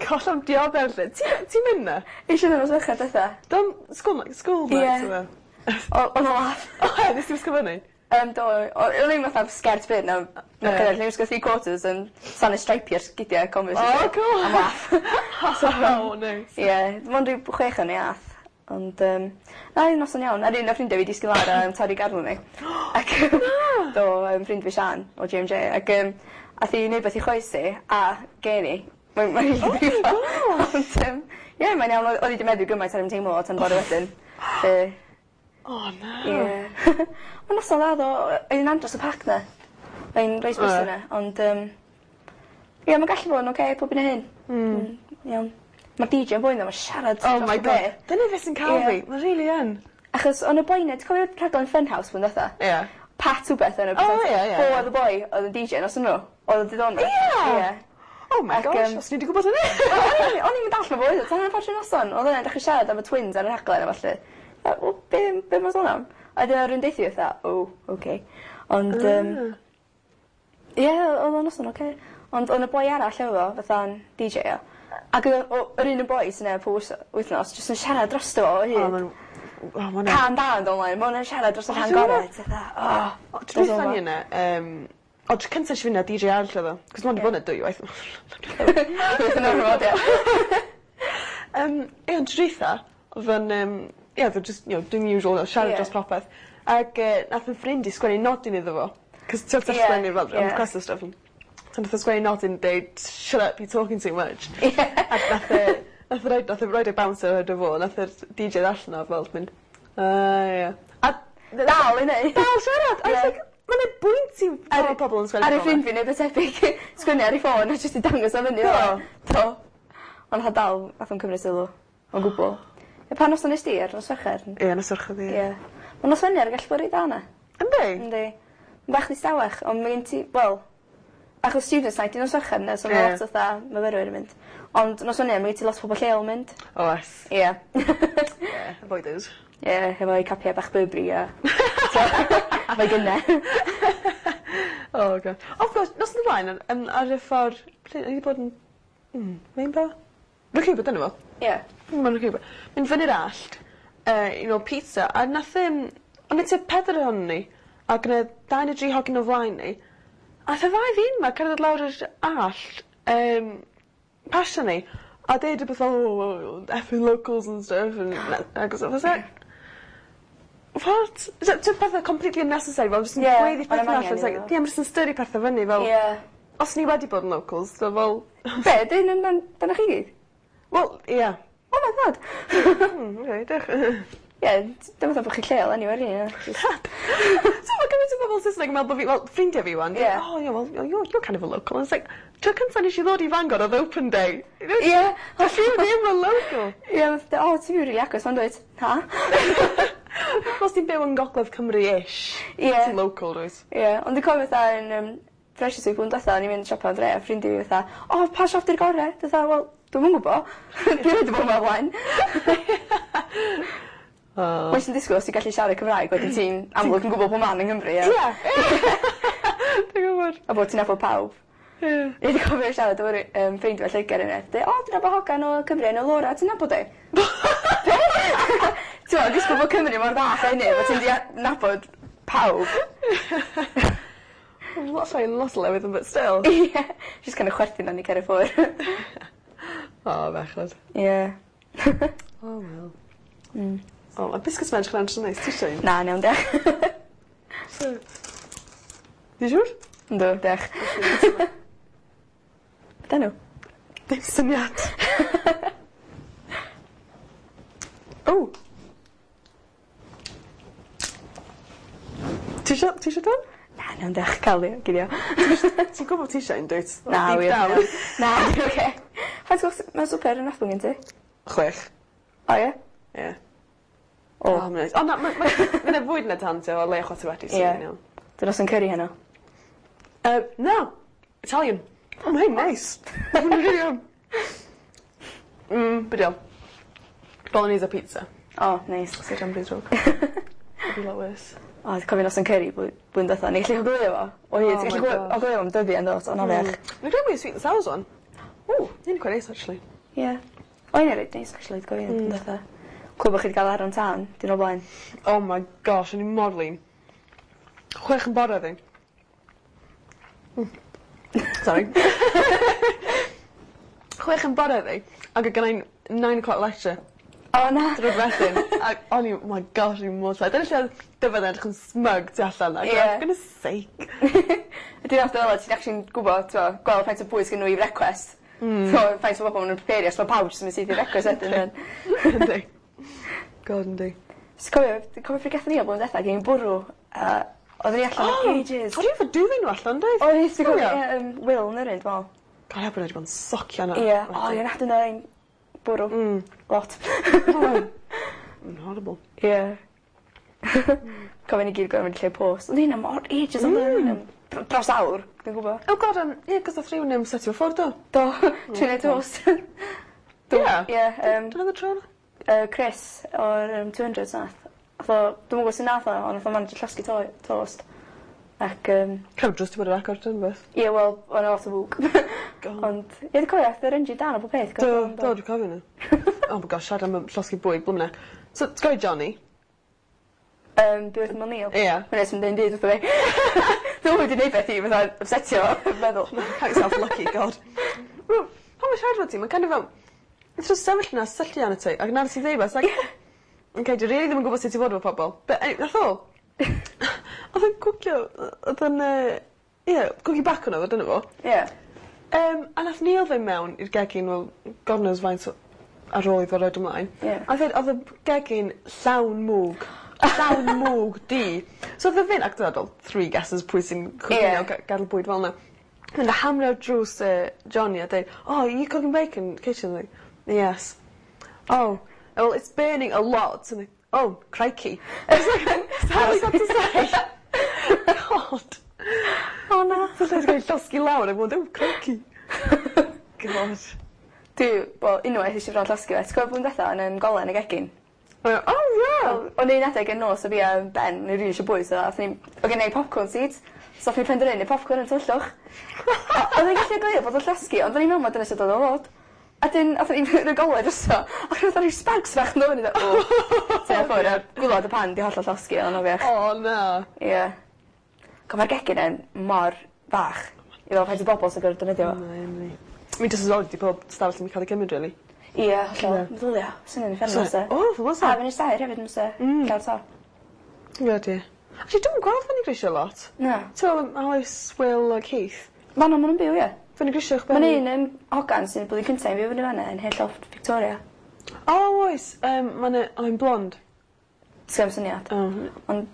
Speaker 1: Goll am dioddef 'lly. Ti ti'n mynd 'na?
Speaker 2: Nesh i ddim nos Fercher dwetha.
Speaker 1: Dim school night school night
Speaker 2: Ie.
Speaker 1: oedd e?
Speaker 2: O- o'dd o'n laff.
Speaker 1: O ie nes ti wisgo fyny?
Speaker 2: Do o- o'n i'm fatha sgert byr na na
Speaker 1: Ie.
Speaker 2: yeah. O'n i'n wisgo three quarters yn sana streipio sgidia Converse.
Speaker 1: O cŵl.
Speaker 2: Am laff.
Speaker 1: So oh neis.
Speaker 2: Ie dim ond ryw chwech o'n i ath. Ond na un noson iawn. A'r un o ffrindia fi disgyn lawr a torri garw fi. Ac do ffrind fi Sian o GMJ ac ath i neud beth i choes i a gen i. Mae'n mae'n rili brifo.
Speaker 1: Oh
Speaker 2: Ond ie mae'n iawn oedd 'i 'di meddwi gymaint ar 'im teimlo fo tan bore wedyn. 'Lly
Speaker 1: O na.
Speaker 2: Ie. Ond noson dda ddo oedd hi'n andros o pac 'na. Oedd 'i'n reit brysur 'na ond ie ma'n gallu bod yn oce pob un a hyn. Iawn. Ma'r Dee Jay yn boi 'na ma'n siarad
Speaker 1: Oh
Speaker 2: dros
Speaker 1: my
Speaker 2: y
Speaker 1: god.
Speaker 2: be'.
Speaker 1: Dyna beth sy'n ca'l
Speaker 2: Ie.
Speaker 1: fi. Ma' rili yn.
Speaker 2: Achos o'n y boi 'na ti'n cofio rhaglen Funhouse blwyddyn dwetha?
Speaker 1: Ie.
Speaker 2: Pat wbeth yn y
Speaker 1: O, ie, ie,
Speaker 2: Fo
Speaker 1: ie.
Speaker 2: oedd y boi oedd yn Dee Jay nos yno. Oedd yn diddorol.
Speaker 1: Ie!
Speaker 2: Ie.
Speaker 1: Oh my
Speaker 2: Ac,
Speaker 1: gosh, os ni 'di gwbod hynny.
Speaker 2: O'n i'm yn dallt pa boi oedd o tan hanner ffordd trwy'r noson. O'dd o'n dechre siarad am y twins ar y rhaglen a ballu. A wel be' be' ma'n sôn am? A wedyn o'dd rywun deutha fi fatha o oce. Ond ie o'dd o'n noson oce. Ond o'n y boi arall efo fo fatha'n Dee Jay o. Ac o'dd o yr un y boi sy 'na pob wythnos jyst yn siarad drosto fo o hyd.
Speaker 1: O ma'n o ma' wnna...
Speaker 2: Cân da yn do' mlaen ma' wnna'n siarad dros y
Speaker 1: O,
Speaker 2: rhan
Speaker 1: dwi'n
Speaker 2: gore
Speaker 1: meddwl-
Speaker 2: ti fatha o.
Speaker 1: O tro dwytha ni yna o tro cynta esh i fynd â Dee Jay arall o'dd o. 'C'os ma' ond 'di bod 'na dwywaith.
Speaker 2: Yn ormod ie.
Speaker 1: Ie ond tro dwytha o'dd o'n ie o'dd o just you know doing the usual o siarad
Speaker 2: Ie.
Speaker 1: dros popeth. Ag nath 'yn ffrind i sgwennu nodyn iddo fo. 'C'os t'od
Speaker 2: Ie,
Speaker 1: sgwennu fel
Speaker 2: ie.
Speaker 1: request a stuff. So nath o sgwennu nodyn deud shut up you're talking too much.
Speaker 2: Ie.
Speaker 1: Ac nath e nath e roid nath e roid e bouncer roid e fo nath yr Dee Jay ddarllen o fel mynd ie. A
Speaker 2: Dal i neu'.
Speaker 1: Dal siarad! I was
Speaker 2: Ie.
Speaker 1: like ma' 'na bwynt i pan ma' pobol yn sgwennu
Speaker 2: Ar ei
Speaker 1: fel 'na.
Speaker 2: ffrind fi neud beth tebyg sgwennu ar ei ffôn a jyst i dangos o fyny
Speaker 1: Do.
Speaker 2: Do. Ond nath o dal nath o'm cymryd sylw o gwbwl. Ie pa noson nes di ar nos Fercher?
Speaker 1: Ie nos Fercher ie.
Speaker 2: Ie. Ma' nos Wener yn gallu bod reit dda 'na.
Speaker 1: Yndi?
Speaker 2: Yndi. Ma'n bach distawach on' ma' gen ti wel achos students night 'di nos Fercher ynde so ma'
Speaker 1: Ie.
Speaker 2: lot o fatha myfyrwyr yn mynd. Ond nos Wener ma' gen ti lot o pobol lleol yn mynd.
Speaker 1: Oes.
Speaker 2: Ie.
Speaker 1: Ie avoid those.
Speaker 2: Ie hefo'u capia bach Burberry a efo'i gynne.
Speaker 1: Oh god. Of course nos o'r blaen ar y ffor ble o'n i 'di bod yn Rainbow? Rwy'n credu bod yno fo.
Speaker 2: Ie.
Speaker 1: Ma'n rhyw mynd fyny'r allt i nôl pizza a nath o'n i tua pedwar ohonon ni ac o' 'na dau neu dri hogyn o flaen ni a ath y ddau ddyn 'ma cerdded lawr yr allt pasio ni a deud rwbeth fel oh effing locals and stuff and ag I was like what? T'od pethe completely unnecessary fel jyst yn
Speaker 2: Ie,
Speaker 1: gweiddi
Speaker 2: ma'
Speaker 1: pethe
Speaker 2: 'na
Speaker 1: allan
Speaker 2: angen
Speaker 1: it's like
Speaker 2: iddo fo.
Speaker 1: ie ma' jyst yn styri pethe fyny fel
Speaker 2: Ie.
Speaker 1: Os ni wedi bod yn locals so fel
Speaker 2: Be' 'dyn amdan dyna chi gyd?
Speaker 1: Wel ie.
Speaker 2: Oh my god.
Speaker 1: Okay, diolch.
Speaker 2: Ie, dim fatha bo' chi lleol anyway rili.
Speaker 1: So ma' gymaint o bobol Saesneg yn meddwl bo' fi wel ffrindia fi 'wan.
Speaker 2: Ie.
Speaker 1: Oh yeah well you're kind of a local. And it's like tro cynta nesh i ddod i Fangor odd open day.
Speaker 2: Ie.
Speaker 1: Dwi ddim yn local.
Speaker 2: Ie fatha o ti'n byw rili agos 'wan dwyt? Na.
Speaker 1: Os ti'n byw yn Gogledd Cymru-ish.
Speaker 2: Ie.
Speaker 1: Ti'n local dwyt?
Speaker 2: Ie, ond dwi'n cofio fatha yn Freshers Week blwyddyn dwetha o'n i'n mynd siopa yn dre a ffrindia fi fatha o pa siop 'di'r gore? Dwi fatha wel dwi'm yn gwbo. Dwi rioed 'di bo' 'ma o blaen.
Speaker 1: O.
Speaker 2: Mae jyst yn disgwl os ti'n gallu siarad Cymraeg wedyn ti'n amlwg yn gwbo po' man yng Nghymru ie?
Speaker 1: Ie. Dwi'n gwbod.
Speaker 2: A bod ti'n nabod pawb.
Speaker 1: Ie.
Speaker 2: Fi 'di cofio siarad efo ffrind fi o Lloeger unwaith deu o dwi'n nabod hogan o Cymru enw Laura ti'n nabod 'i? Be? T'mo' disgwl bo' Cymru mor fach a hynny bo' ti'n mynd i nabod pawb.
Speaker 1: Lot llai yn lot o lefydd but still.
Speaker 2: Ie. Jyst kind of chwerthin arni cer i ffwr'.
Speaker 1: O bechod.
Speaker 2: Ie.
Speaker 1: O wel. O ma' biscuits ma'n edrych yn andros o neis. Ti isie un?
Speaker 2: Na 'n iawn diolch.
Speaker 1: Ti siŵr?
Speaker 2: Yndw diolch. Be' 'dan n'w?
Speaker 1: Dim syniad. O! Ti isio ti isio dod?
Speaker 2: Na 'n iawn diolch ca'l fi guddio.
Speaker 1: Ti'n gwbo ti isie un dwyt?
Speaker 2: Na
Speaker 1: Deep
Speaker 2: wir.
Speaker 1: down.
Speaker 2: Na dwi oce. Faint o's ma' swper yn Rathbone gen ti?
Speaker 1: 6.
Speaker 2: O ie?
Speaker 1: Ie.
Speaker 2: O.
Speaker 1: O ma'n neis. O na ma' ma' ma' 'na fwyd yn y tan so o leia chwarter wedi so
Speaker 2: Ie.
Speaker 1: fi'n iawn.
Speaker 2: 'Di noson curry heno?
Speaker 1: Na. Italian. O ma' hein neis. Ma' nw'n rili iawn. Be' 'di o? Bolognese a pizza.
Speaker 2: O neis.
Speaker 1: So diom rhy ddrwg. Could be lot worse.
Speaker 2: O dwi'n cofio noson curry blwyddyn dwetha o'n i gallu gwylio fo. O hyd
Speaker 1: Oh
Speaker 2: ti'n
Speaker 1: my
Speaker 2: gallu
Speaker 1: gosh.
Speaker 2: gwylio fo am dyddia yndwt o'n afiach.
Speaker 1: Dwi'n credu mwy sweet and sours one. Ww, hyn quite nice actually.
Speaker 2: Ie. O un reit neis actually dwi'n cofio blwyddyn dwetha. Clywed bo' chi 'di ga'l aron tân diwrnod o blaen.
Speaker 1: Oh my gosh, o'n i mor flin. 6 yn bore fi. Sorry. 6 yn bore fi, ac oedd gennai 9 o'clock lecture.
Speaker 2: O na!
Speaker 1: Diwrnod wedyn, ac o'n i, oh my gosh, o'n i mor tired. Dyna lle oedd Dyfed yn edrych yn smug tu allan. Like,
Speaker 2: Ie.
Speaker 1: oh, for goodness sake.
Speaker 2: Ydi nath fel 'a ti'n actually'n gwbod t'mo' gweld faint o bwyd sgyn n'w i frecwast. So faint o bobol ma' nw'n prepario so ma' pawb jyst yn mynd syth i frecwast wedyn yn...
Speaker 1: Yndi. God yndi.
Speaker 2: Ti'n cofio dwi'n cofio pryd gathon ni o blwyddyn dwetha gyn bwrw a oedden ni allan am ages.
Speaker 1: O'n i efo duvet nhw allan, doedd?
Speaker 2: Oedd ti'n cofio
Speaker 1: Cofio?
Speaker 2: ie Will Nyryn dwi me'wl.
Speaker 1: God, help wedi bod yn socio yna.
Speaker 2: Ie. O ie nath yna ein bwrw. Lot.
Speaker 1: Yn horrible.
Speaker 2: Ie. Cofio ni gyd gorfod mynd i lle post. Ond hynna mor ages ond hynna dros awr, dwi'n gwbo.
Speaker 1: Oh god, ie, cos nath rhywun setio ffwrdd do.
Speaker 2: Do, trio neud toast. Do.
Speaker 1: Ie.
Speaker 2: Ie,
Speaker 1: Dyna oedd y tro yna?
Speaker 2: Chris o'r 200s nath. Nath o, dwi'm yn gwbod sut nath o, ond nath o manage llosgi toast. Ac,
Speaker 1: Cefn drws ti bod yr agor, dyn beth.
Speaker 2: ie, wel, o'n lot o fwg.
Speaker 1: God.
Speaker 2: Ond, ie, dwi'n cofio, ath yr engine dan o bob peth.
Speaker 1: Do, do, dwi'n cofio nhw. Oh my gosh, siarad am llosgi bwyd, blwm neck. So, ti'n cofio Johnny?
Speaker 2: Byw wrth ymyl Neil.
Speaker 1: Ie.
Speaker 2: Hwna sy'n deud byd wrtho fi. Dwi'n wedi neud beth i, fatha, upsetio fo, meddwl.
Speaker 1: Count yourself lucky, god. Wel, pan mae'n siarad efo ti, mae'n kind of fel... It's just sefyll yna, syllu arno ti, ac na'r sy'n ddeud it's like... Okay, dwi really ddim yn gwybod sut i fod efo pobl. But anyway, nath o. Oedd o'n cwcio, oedd o'n, ie, cwcio bacon oedd o, dyna fo.
Speaker 2: Ie.
Speaker 1: A nath Neil fynd mewn i'r gegin, wel, God knows faint ar ôl iddo roid ymlaen.
Speaker 2: Ie.
Speaker 1: A dweud, oedd y gegin llawn mwg. Llawn mwg du. So oedd y fynd, ac dwi'n meddwl, three guesses pwy sy'n cwcio
Speaker 2: Ie.
Speaker 1: gadael bwyd fel yna. Mynd a hamro drws Johnny a dweud, oh, are you cooking bacon in the kitchen? Like, yes. Oh, well, it's burning a lot. And like, oh, crikey. It's like, is that all you got to say? God.
Speaker 2: O na.
Speaker 1: So lle ti'n cael llosgi lawr a bod, oh, crikey. God.
Speaker 2: Dwi, wel, unwaith eisiau bron llosgi fe. Ti'n cofio blwyddyn dwetha yn golau yn y gegin?
Speaker 1: Oh, yeah.
Speaker 2: O'n un adeg yn nos o fi a Ben, o'n i rili eisiau bwyd, so athon ni, o gen i popcorn seeds, so athon ni penderfynu neud popcorn yn tyllwch. Oedd e'n gallu gwylio bod o'n llosgi, ond o'n i'n meddwl mai dyna sut oedd o fod. A dyn, athon ni rhoi golau drosto, ac oedd rhyw sparks fach yn dod fyny, o, te ffwrdd, a gwylod y pan di hollol llosgi, oedd o'n afiach.
Speaker 1: Oh, na.
Speaker 2: Ie. Go, mae'r gegin yn mor fach, i fel faint o bobl sy'n gorfod defnyddio fo.
Speaker 1: Na, Emily. Mi just as oed di pob stafell yn cael ei gymryd, really.
Speaker 2: Ie, hollol. Meddylia, swnio'n uffernol, se.
Speaker 1: Oh, was
Speaker 2: A,
Speaker 1: it?
Speaker 2: fyny'r saer hefyd, yn se. Llawr to.
Speaker 1: Ie, di. Actually, dwi'n gweld fyny grisiau lot.
Speaker 2: Na.
Speaker 1: Ti'n meddwl Alice, Will a Keith?
Speaker 2: Ma' nhw, ma' nhw'n byw, ie.
Speaker 1: Fyny grisiau ch'ben?
Speaker 2: Mae'n un hogan sy'n blwyddyn cyntaf i fyw fyny fan'na yn Hayloft Victoria.
Speaker 1: O oes ma' 'na o mae'n blond.
Speaker 2: Sgem syniad.
Speaker 1: O.
Speaker 2: Ond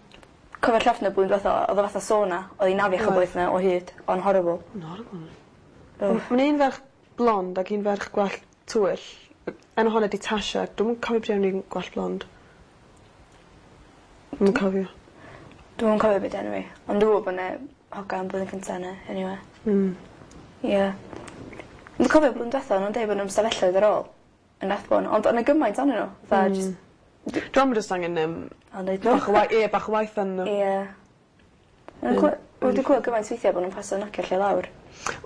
Speaker 2: cofio'r llofft 'na blwyddyn dwetha odd o fatha sauna o'dd 'i'n afiach o boeth 'na o hyd. O'n horrible.
Speaker 1: Ma'n horrible.
Speaker 2: Ugh.
Speaker 1: Ma'n un ferch blond ag un ferch gwallt tywyll. Enw honna 'di Tasha. Dwi'm yn cofio pryd enw un gwallt blond. Dwi'm yn cofio.
Speaker 2: Dwi'm yn cofio be' 'di enw 'i ond dwi me'wl bo' 'ne hogan blwyddyn cynta 'na eniwe. Ie. Dwi'n cofio blwyddyn dwetha o'n nw'n deu bo' nw'n stafelloedd ar ôl yn Rathbone ond o' 'na gymaint onyn n'w fatha js...
Speaker 1: Dwi me'wl ma' jyst angen yym...
Speaker 2: O neud n'w.
Speaker 1: Bach o wai- ie bach o waith arnyn n'w.
Speaker 2: Ie. Ma'n clwy- wedi clywed gymaint weithia' bo' nw'n paso nocio lle lawr.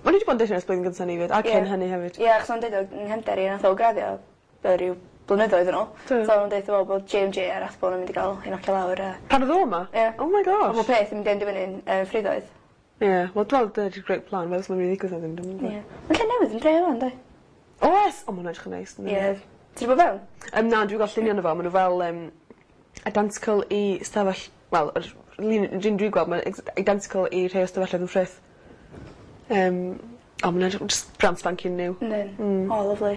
Speaker 1: O'n i 'di bod yn deud ers blwyddyn gynta ni 'fyd a cyn hynny hefyd.
Speaker 2: Ie achos o'n deud o 'yng nghefnder i nath o graddio yy ryw blynyddoedd yn ôl.
Speaker 1: Do.
Speaker 2: So o'n deutho fo bod Jay and Jay a Rathbone yn mynd i ga'l eu nocio lawr a...
Speaker 1: Pan odd o 'ma?
Speaker 2: Ie.
Speaker 1: Oh my gosh.
Speaker 2: A bo' peth yn mynd i endio fyny'n yy ffriddoedd.
Speaker 1: Ie wel dwi me'wl dyna 'di'r great plan weld os ma'n myn' i ddigwydd neu ddim dwi'm yn gwbo.
Speaker 2: Ie. Ma' lle newydd yn dre ŵan 'de?
Speaker 1: Oes! O ma' wnna edrych yn neis yndi?
Speaker 2: Ie. Ti 'di bo' fewn?
Speaker 1: Na dwi gweld llunie o'no fo ma' n'w fel yym identical i stafell wel yr lun yr un dwi gweld ma'n identical i rhei o stafelloedd yn Frith. O ma'n edrych js brand spanking new.
Speaker 2: Yndyn. O lyfli.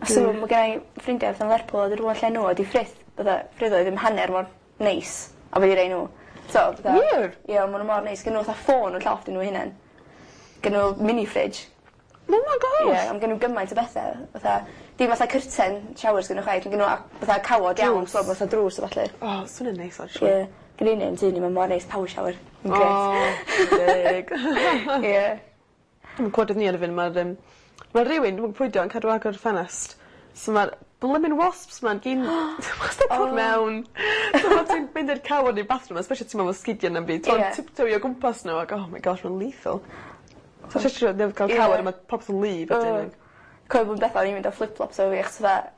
Speaker 2: A so ma' gennai ffrindia fatha yn Lerpwl a dwi lle n'w ydi Frith fatha Ffriddoedd ddim hanner mor neis a be' 'di rei n'w. So fatha...
Speaker 1: Wir?
Speaker 2: Ie ma' n'w mor neis gynno n'w fatha ffôn yn llofft i n'w hunen. Gynno n'w mini fridge.
Speaker 1: Oh my gosh.
Speaker 2: Ie on' gynno n'w gymaint o bethe fatha dim fatha curtain showers gynno n'w chwaith ma' gynno n'w a- fatha cawod iawn
Speaker 1: Drws.
Speaker 2: so fatha drws a ballu.
Speaker 1: O swnio'n neis actually.
Speaker 2: Ie. Gynna un yn tŷ ni ma' mor neis power shower. Ma'n grêt.
Speaker 1: O deg.
Speaker 2: Ie.
Speaker 1: Dwi'm yn gwod ni ar y funud ma'r ma' rywun dwi'm yn pwy 'di o yn cadw agor y ffenest so ma'r blymyn wasps 'ma gyn wastad dod mewn. So pan ti'n mynd i'r cawod ne'r bathroom especially os ti'm efo sgidia na'm byd t'mod tiptoeio o gwmpas n'w ag oh my gosh ma'n lethal. So literally newydd ga'l cawod a ma' popeth yn wlyb wedyn.
Speaker 2: Cofio blwyddyn dwetha o'n i'n mynd â flip flops efo fi achos fatha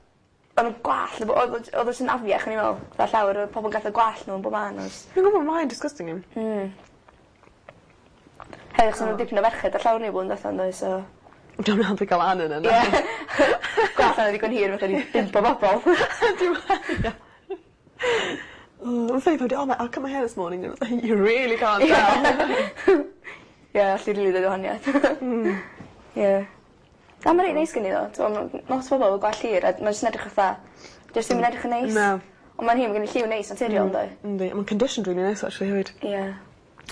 Speaker 2: o'n n'w gwallt o'dd o j- odd o jys yn afiach o'n i'n me'wl. Fatha llawr o'dd pobol yn gadel gwallt n'w yn bob man o's.
Speaker 1: Fi'n gwbo mae'n disgusting.
Speaker 2: Hefyd achos o' 'na dipyn o ferched ar llawr ni blwyddyn dwetha yndoedd so...
Speaker 1: Dwi'm yn hapus ga'l Anne yna na.
Speaker 2: Ie. Gwallt 'na ddigon hir fatha ryw bump o bobol.
Speaker 1: Dim O ma'n funny oh I cut my hair this morning you really can't tell.
Speaker 2: Ie allu rili deud y wahaniath. Ie. Na ma' rei neis gen 'i ddo t'mo' ma' lot o bobol efo gwallt hir a ma' jyst yn edrych fatha jyst ddim yn edrych yn neis.
Speaker 1: Na.
Speaker 2: On' ma'n hi ma' gen 'i lliw neis naturiol yndoi?
Speaker 1: Yndi a ma'n conditioned rili neis actually hefyd.
Speaker 2: Ie.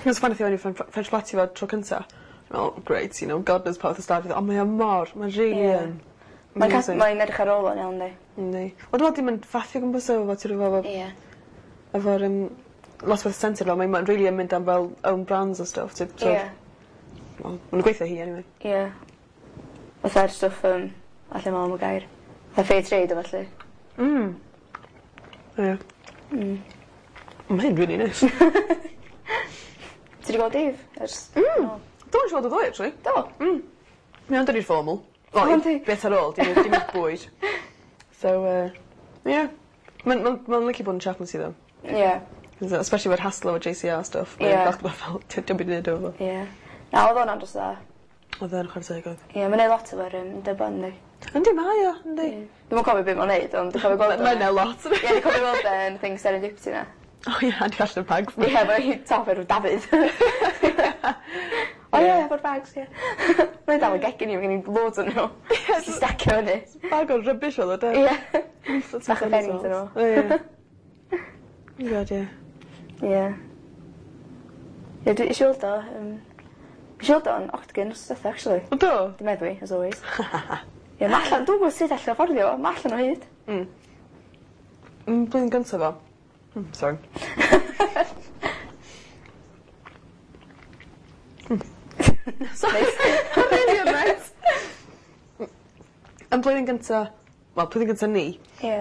Speaker 1: It's funny thing French plait fo tro cynta. O great you know God knows pa fath o style fydd o on' mae o mor ma'n rili yn.
Speaker 2: Mae'n cas-
Speaker 1: Amazing.
Speaker 2: mae'n edrych ar ôl o'n iawn 'di?
Speaker 1: Yndi. Wel dwi me'wl dim yn faffio gwmpas o efo ti efo
Speaker 2: Ie.
Speaker 1: efo'r lot fwy sensitif fel mae'n rili yn mynd am fel own brands a stwff ti so
Speaker 2: Ie.
Speaker 1: Wel ma'n gweithio hi anyway.
Speaker 2: Ie. Fatha'r stwff allai me'wl am y gair. Fatha fair trade a ballu.
Speaker 1: Ie. Ma' hyn rili neis.
Speaker 2: Ti 'di gweld Dave ers...
Speaker 1: Do nes i weld o ddoe actually.
Speaker 2: Do?
Speaker 1: Mae o'n dod i'r formal.
Speaker 2: O,
Speaker 1: Wel
Speaker 2: yndi?
Speaker 1: bit ar ôl dim dim bwyd. So ie. Ma'n ma'n ma'n licio bod yn chaplaincy though.
Speaker 2: Ie.
Speaker 1: Especially efo'r hassle efo JCR stuff.
Speaker 2: Ie.
Speaker 1: Mae'n falch bod fel dim byd i neud efo fo.
Speaker 2: Ie. Na o'dd o'n andros o dda.
Speaker 1: O'dd e'n chware teg oedd.
Speaker 2: Ie ma'n neud lot efo'r dybon yndi?
Speaker 1: Yndi mae o yndi.
Speaker 2: Dwi'm yn cofio be' ma'n neud ond dwi'n cofio gweld o.
Speaker 1: Mae'n neud lot.
Speaker 2: Ie dwi'n cofio weld e yn thing Serendipity 'na.
Speaker 1: O ie a di allan y bags 'ma.
Speaker 2: Ie efo ei top enw Dafydd. O ie efo'r bags ie. Mae'n dal yn gegin i ma' gen i loads o'n nhw. Jyst i stacio fyny.
Speaker 1: Bag o rubbish o'dd o de?
Speaker 2: Ie. Bach o bedding 'dyn nhw.
Speaker 1: Ie. God ie.
Speaker 2: Ie. Ie dwi isio weld o nes i weld o yn Octagon wsos dwetha actually.
Speaker 1: O do?
Speaker 2: Dim meddwi as always. Ie ma' allan dwi'm gwbo sut all o fforddio fo ma' allan o hyd.
Speaker 1: Blwyddyn gynta fo. Sorry. Sorry. Really reit. Yn blwyddyn gynta, wel blwyddyn gynta ni.
Speaker 2: Ie.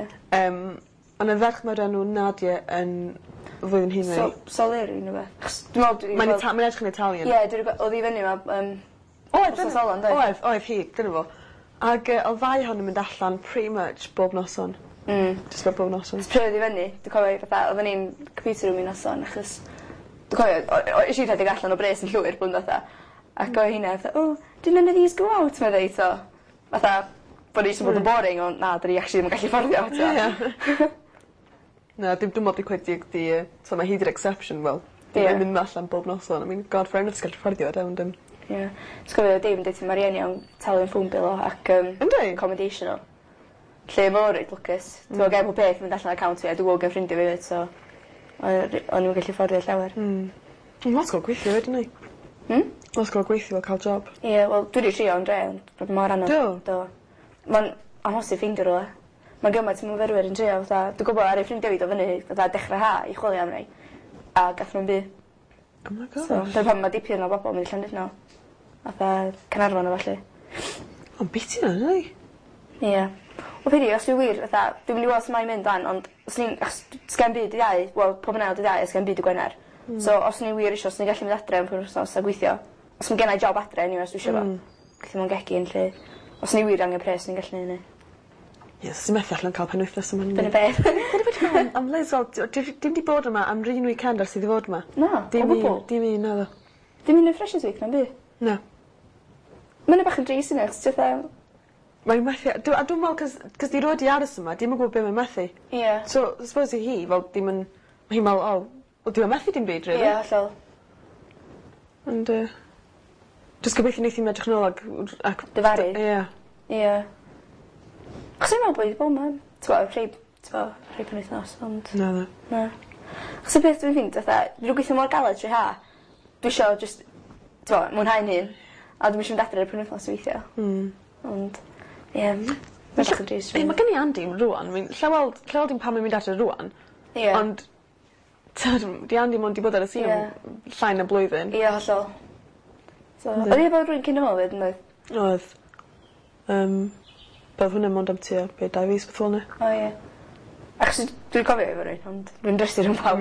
Speaker 1: O' 'na ferch 'ma o'r enw Nadia yn flwyddyn hŷn na fi.
Speaker 2: Soleri ne' wbath. Achos dwi me'wl dwi 'di
Speaker 1: Mae'n
Speaker 2: gweld...
Speaker 1: Ita- mae'n edrych yn Italian.
Speaker 2: Ie dwi 'di gwe- o'dd i fyny 'ma
Speaker 1: Oedd
Speaker 2: wsos ola yndoedd?
Speaker 1: Oedd oedd hi dyna fo. Ag o'dd ddau ohonyn nw'n mynd allan pretty much bob noson. Jyst about bob noson.
Speaker 2: Pryd oedd i fyny dwi cofio fatha odden ni'n computer room un noson achos dwi cofio o- es i rhedeg allan o bres yn llwyr blwyddyn dwetha ac oedd hynna fatha oh do none of these go out medda 'i t'o'. Fatha bo' ni jyst yn bod yn boring ond na 'dyn ni actually ddim yn gallu fforddio t'o'?
Speaker 1: Ie. Na dim dwi'm me'wl 'di cweit 'di 'di yy so ma' hi 'di'r exception wel.
Speaker 2: Ie.
Speaker 1: Ddim yn mynd allan bob noson I mean God fair enough os gallu fforddio fe ond
Speaker 2: Ie. Ti'n cofio Dave yn deud ma' rieni o'n talu am phone bill o ac
Speaker 1: Yndi?
Speaker 2: accommodation o. Lle ma' o'n reit lwcus. T'mo' gen pob peth mynd allan o account fi a dwi gwbo gen ffrindia fi 'fyd so o'n i'm yn gallu fforddio llawer.
Speaker 1: Ma'n lot gor'o' gweithio 'fyd yndi?
Speaker 2: Hmm?
Speaker 1: Lot gor'o' gweithio a ca'l job.
Speaker 2: Ie wel dwi 'di trio yn dre ond mor anodd.
Speaker 1: Do?
Speaker 2: Do. Ma'n amhosib ffeindio rwle. Ma'n gymaint o myfyrwyr yn trio fatha dwi gwbo rai ffrindia fi do' fyny fatha dechra ha i chwilio am rei a gath nw'm by'.
Speaker 1: Oh my gosh.
Speaker 2: So dyna pam ma' dipyn o bobol mynd i Llandudno. Fatha Canarfon a ballu.
Speaker 1: Ma'n biti 'na yndi?
Speaker 2: Ie. Wel pidi os dwi wir fatha dwi mynd i weld su' mae'n mynd 'wan ond os ni'n achos sgen byd dy' Iau wel pob yn ail dy' Iau a sgen byd dy' Gwener. So os o'n i wir isio swn i gallu mynd adre am penwthnos a gweithio. Os ma' gennai job adre eniwe os dwi isio fo. Gweithio mewn gegin 'lly. Os o'n i wir angen pres swn i'n gallu neu' 'ny.
Speaker 1: Ie os ti methu allan ca'l penwythnos yma...
Speaker 2: Dyna beth.
Speaker 1: Am Liz wel dim 'di bod yma am 'run weekend ers iddi fod 'ma.
Speaker 2: Na,
Speaker 1: Dim
Speaker 2: o gwbwl.
Speaker 1: un dim un naddo.
Speaker 2: Dim un yn Freshers Week na'm by'?
Speaker 1: Na.
Speaker 2: Ma' wnna bach yn drist yna achos ti fatha
Speaker 1: Mae'n methu a dwi me'wl 'c'os 'c'os 'di rioed 'di aros yma dim yn gwbo be' mae'n methu.
Speaker 2: Ie.
Speaker 1: So I suppose i hi fel dim yn ma' hi'n me'wl o wel dwi am methu dim byd rili.
Speaker 2: Ie hollol.
Speaker 1: Ond yy jys gobeithio neith 'i'm edrych nôl ag ac...
Speaker 2: Difaru.
Speaker 1: Ie.
Speaker 2: Ie. Achos fi'n me'wl bo' 'i 'di bo' 'ma t'mo' rhei t'mo' rhei penwythnos ond...
Speaker 1: Naddo.
Speaker 2: Na. Achos y peth dwi'n ffindo fatha dwi 'di gweithio mor galed trwy ha dwi isio jyst t'mo' mwynhau'n hun a dwi'm isio mynd adre ar y penwythnos weithia'. Ond ie ma' bach yn drist
Speaker 1: Ie ma' gen i Andy rŵan mae'n lla weld lla weld 'i'm pan mae'n mynd adre rŵan.
Speaker 2: Ie.
Speaker 1: Ond t'od 'di Andy mond 'di bod ar y sîn am llai na blwyddyn.
Speaker 2: Ie hollol. So o'dd 'i efo rywun cyn hwnna 'fyd yn doedd?
Speaker 1: Oedd. Be' odd hwnna mond am tua be' dau fis beth fel 'na.
Speaker 2: O ie. Achos dwi'n cofio efo rywun ond dwi'n drysu rhwng pawb.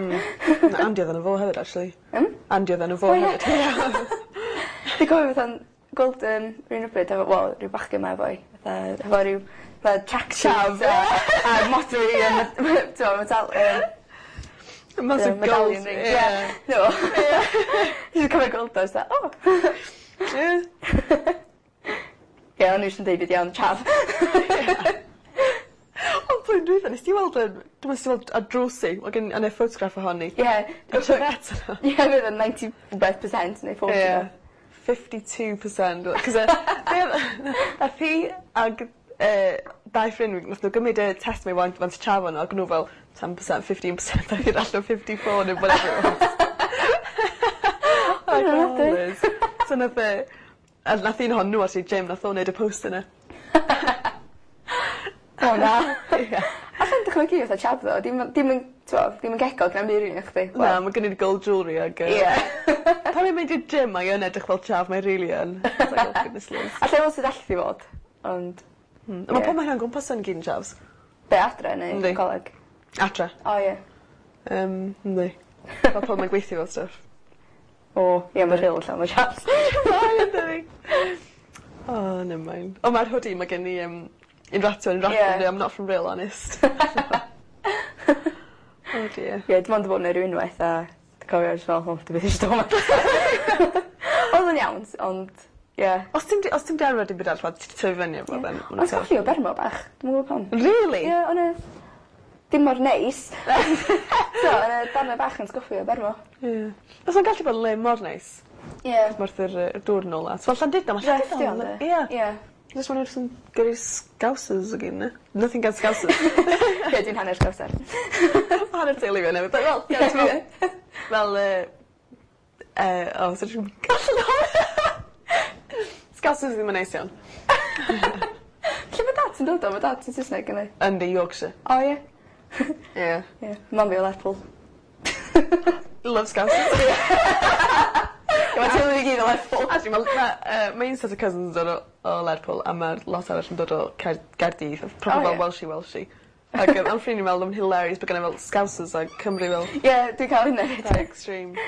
Speaker 1: Na Andy odd enw fo hefyd actually.
Speaker 2: Hmm?
Speaker 1: Andy odd enw fo
Speaker 2: O ie.
Speaker 1: hefyd.
Speaker 2: Dwi'n cofio fatha'n gweld rywun rywbryd efo wel ryw bachgen 'ma efo'i fatha hefo ryw fatha track suit a a modrwy a t'mo' metal yy
Speaker 1: Massive gold.
Speaker 2: Medallion ring.
Speaker 1: Ie.
Speaker 2: Ie. No. Dwi'n cofio gweld o jyst fatha o!
Speaker 1: Ie.
Speaker 2: Ie o'n i jyst yn deud byd iawn chav.
Speaker 1: Ond blwyddyn dwytha nes di weld yym dwi me'wl nes di weld ar drws hi ma' gen yn y ffotograff ohoni.
Speaker 2: Ie.
Speaker 1: Y Tourette yna.
Speaker 2: Ie fydd yn ninety rwbeth percent neu forty
Speaker 1: Ie.
Speaker 2: rwbeth.
Speaker 1: 52% 'C'os yy be' odd nath hi ag dau ffrind fi nath nw gymryd y test 'ma i want trafod ag o'n nw fel 10% 15% a allan 54 neu whatever it was. Like oh Liz. So nath a nath un ohonyn n'w actually gym nath o neud y post yna.
Speaker 2: O na.
Speaker 1: Ie.
Speaker 2: Allai'm dychmygu fatha chav ddo dim yn dim yn t'mo' ddim yn cegog na'm by' rili nachdi?
Speaker 1: Na ma' gynni gold jewellery ag yy...
Speaker 2: Ie.
Speaker 1: Pan mae'n mynd i'r gym mae yn edrych fel chav mae rili yn. It's like oh goodness Liz.
Speaker 2: Allai weld sud all hi fod ond...
Speaker 1: A ma' pob man o'n gwmpas yn gyd yn chavs.
Speaker 2: Be' adre neu...
Speaker 1: Yndi.
Speaker 2: Coleg?
Speaker 1: Adre.
Speaker 2: O ie.
Speaker 1: Yndi. Fel pobol mae'n gweithio fel stuff.
Speaker 2: O ie ma' Rhyl llawn o chavs.
Speaker 1: Mae yndydi? Oh never mind. O ma'r hoodie ma' gen i un rato un rato
Speaker 2: Ie.
Speaker 1: I'm not from Rhyl honest. Oh dear.
Speaker 2: Ie dwi mond 'di bod 'na ryw unwaith a dwi cofio jyst fel o dwi byth isio do' 'ma. Odd o'n iawn ond ie.
Speaker 1: Os ti'm 'di os ti'm 'di arfer dim byd arall ti 'di tyfu fyny efo then ma'
Speaker 2: Ond colli o Bermo bach. Dwi'm yn gwbo pam.
Speaker 1: Rili?
Speaker 2: Ie o'n y dim mor neis. So o'n y darne bach yn sgoffi o Bermo.
Speaker 1: Ie. Fysa'n gallu bod yn le mor neis.
Speaker 2: Ie.
Speaker 1: Wrth yr yy dŵr nôl at. Wel Llandudno ma' Llandudno. Ie.
Speaker 2: Ie.
Speaker 1: Jyst ma' n'w jyst yn gyrru scousers ag un 'na. Nothing against scousers.
Speaker 2: Ie dwi'n hanner scouser.
Speaker 1: Hanner teulu fi newydd wel ie t'mo' fel o so dwi'n Scousers ddim yn neis iawn.
Speaker 2: Lle ma' dad ti'n dod o? Ma' dad yn Saesneg yndi?
Speaker 1: Yndi Yorkshire.
Speaker 2: O ie?
Speaker 1: Ie.
Speaker 2: Ie. Mam fi o Lerpwl.
Speaker 1: Love scousers.
Speaker 2: Ie ma' teulu fi gyd o Lerpwl.
Speaker 1: Actually ma' ma' ma' un set o cousins yn dod o Lerpwl a ma'r lot arall yn dod o Caer- Gaerdydd. Proper
Speaker 2: O
Speaker 1: fel
Speaker 2: ie.
Speaker 1: Welshie Welshie. Ag ma'n ffrind i'n meddwl ma'n hilarious bo' genna fel scousers ag Cymru fel
Speaker 2: Ie dwi'n ca'l hynna 'fyd.
Speaker 1: extreme.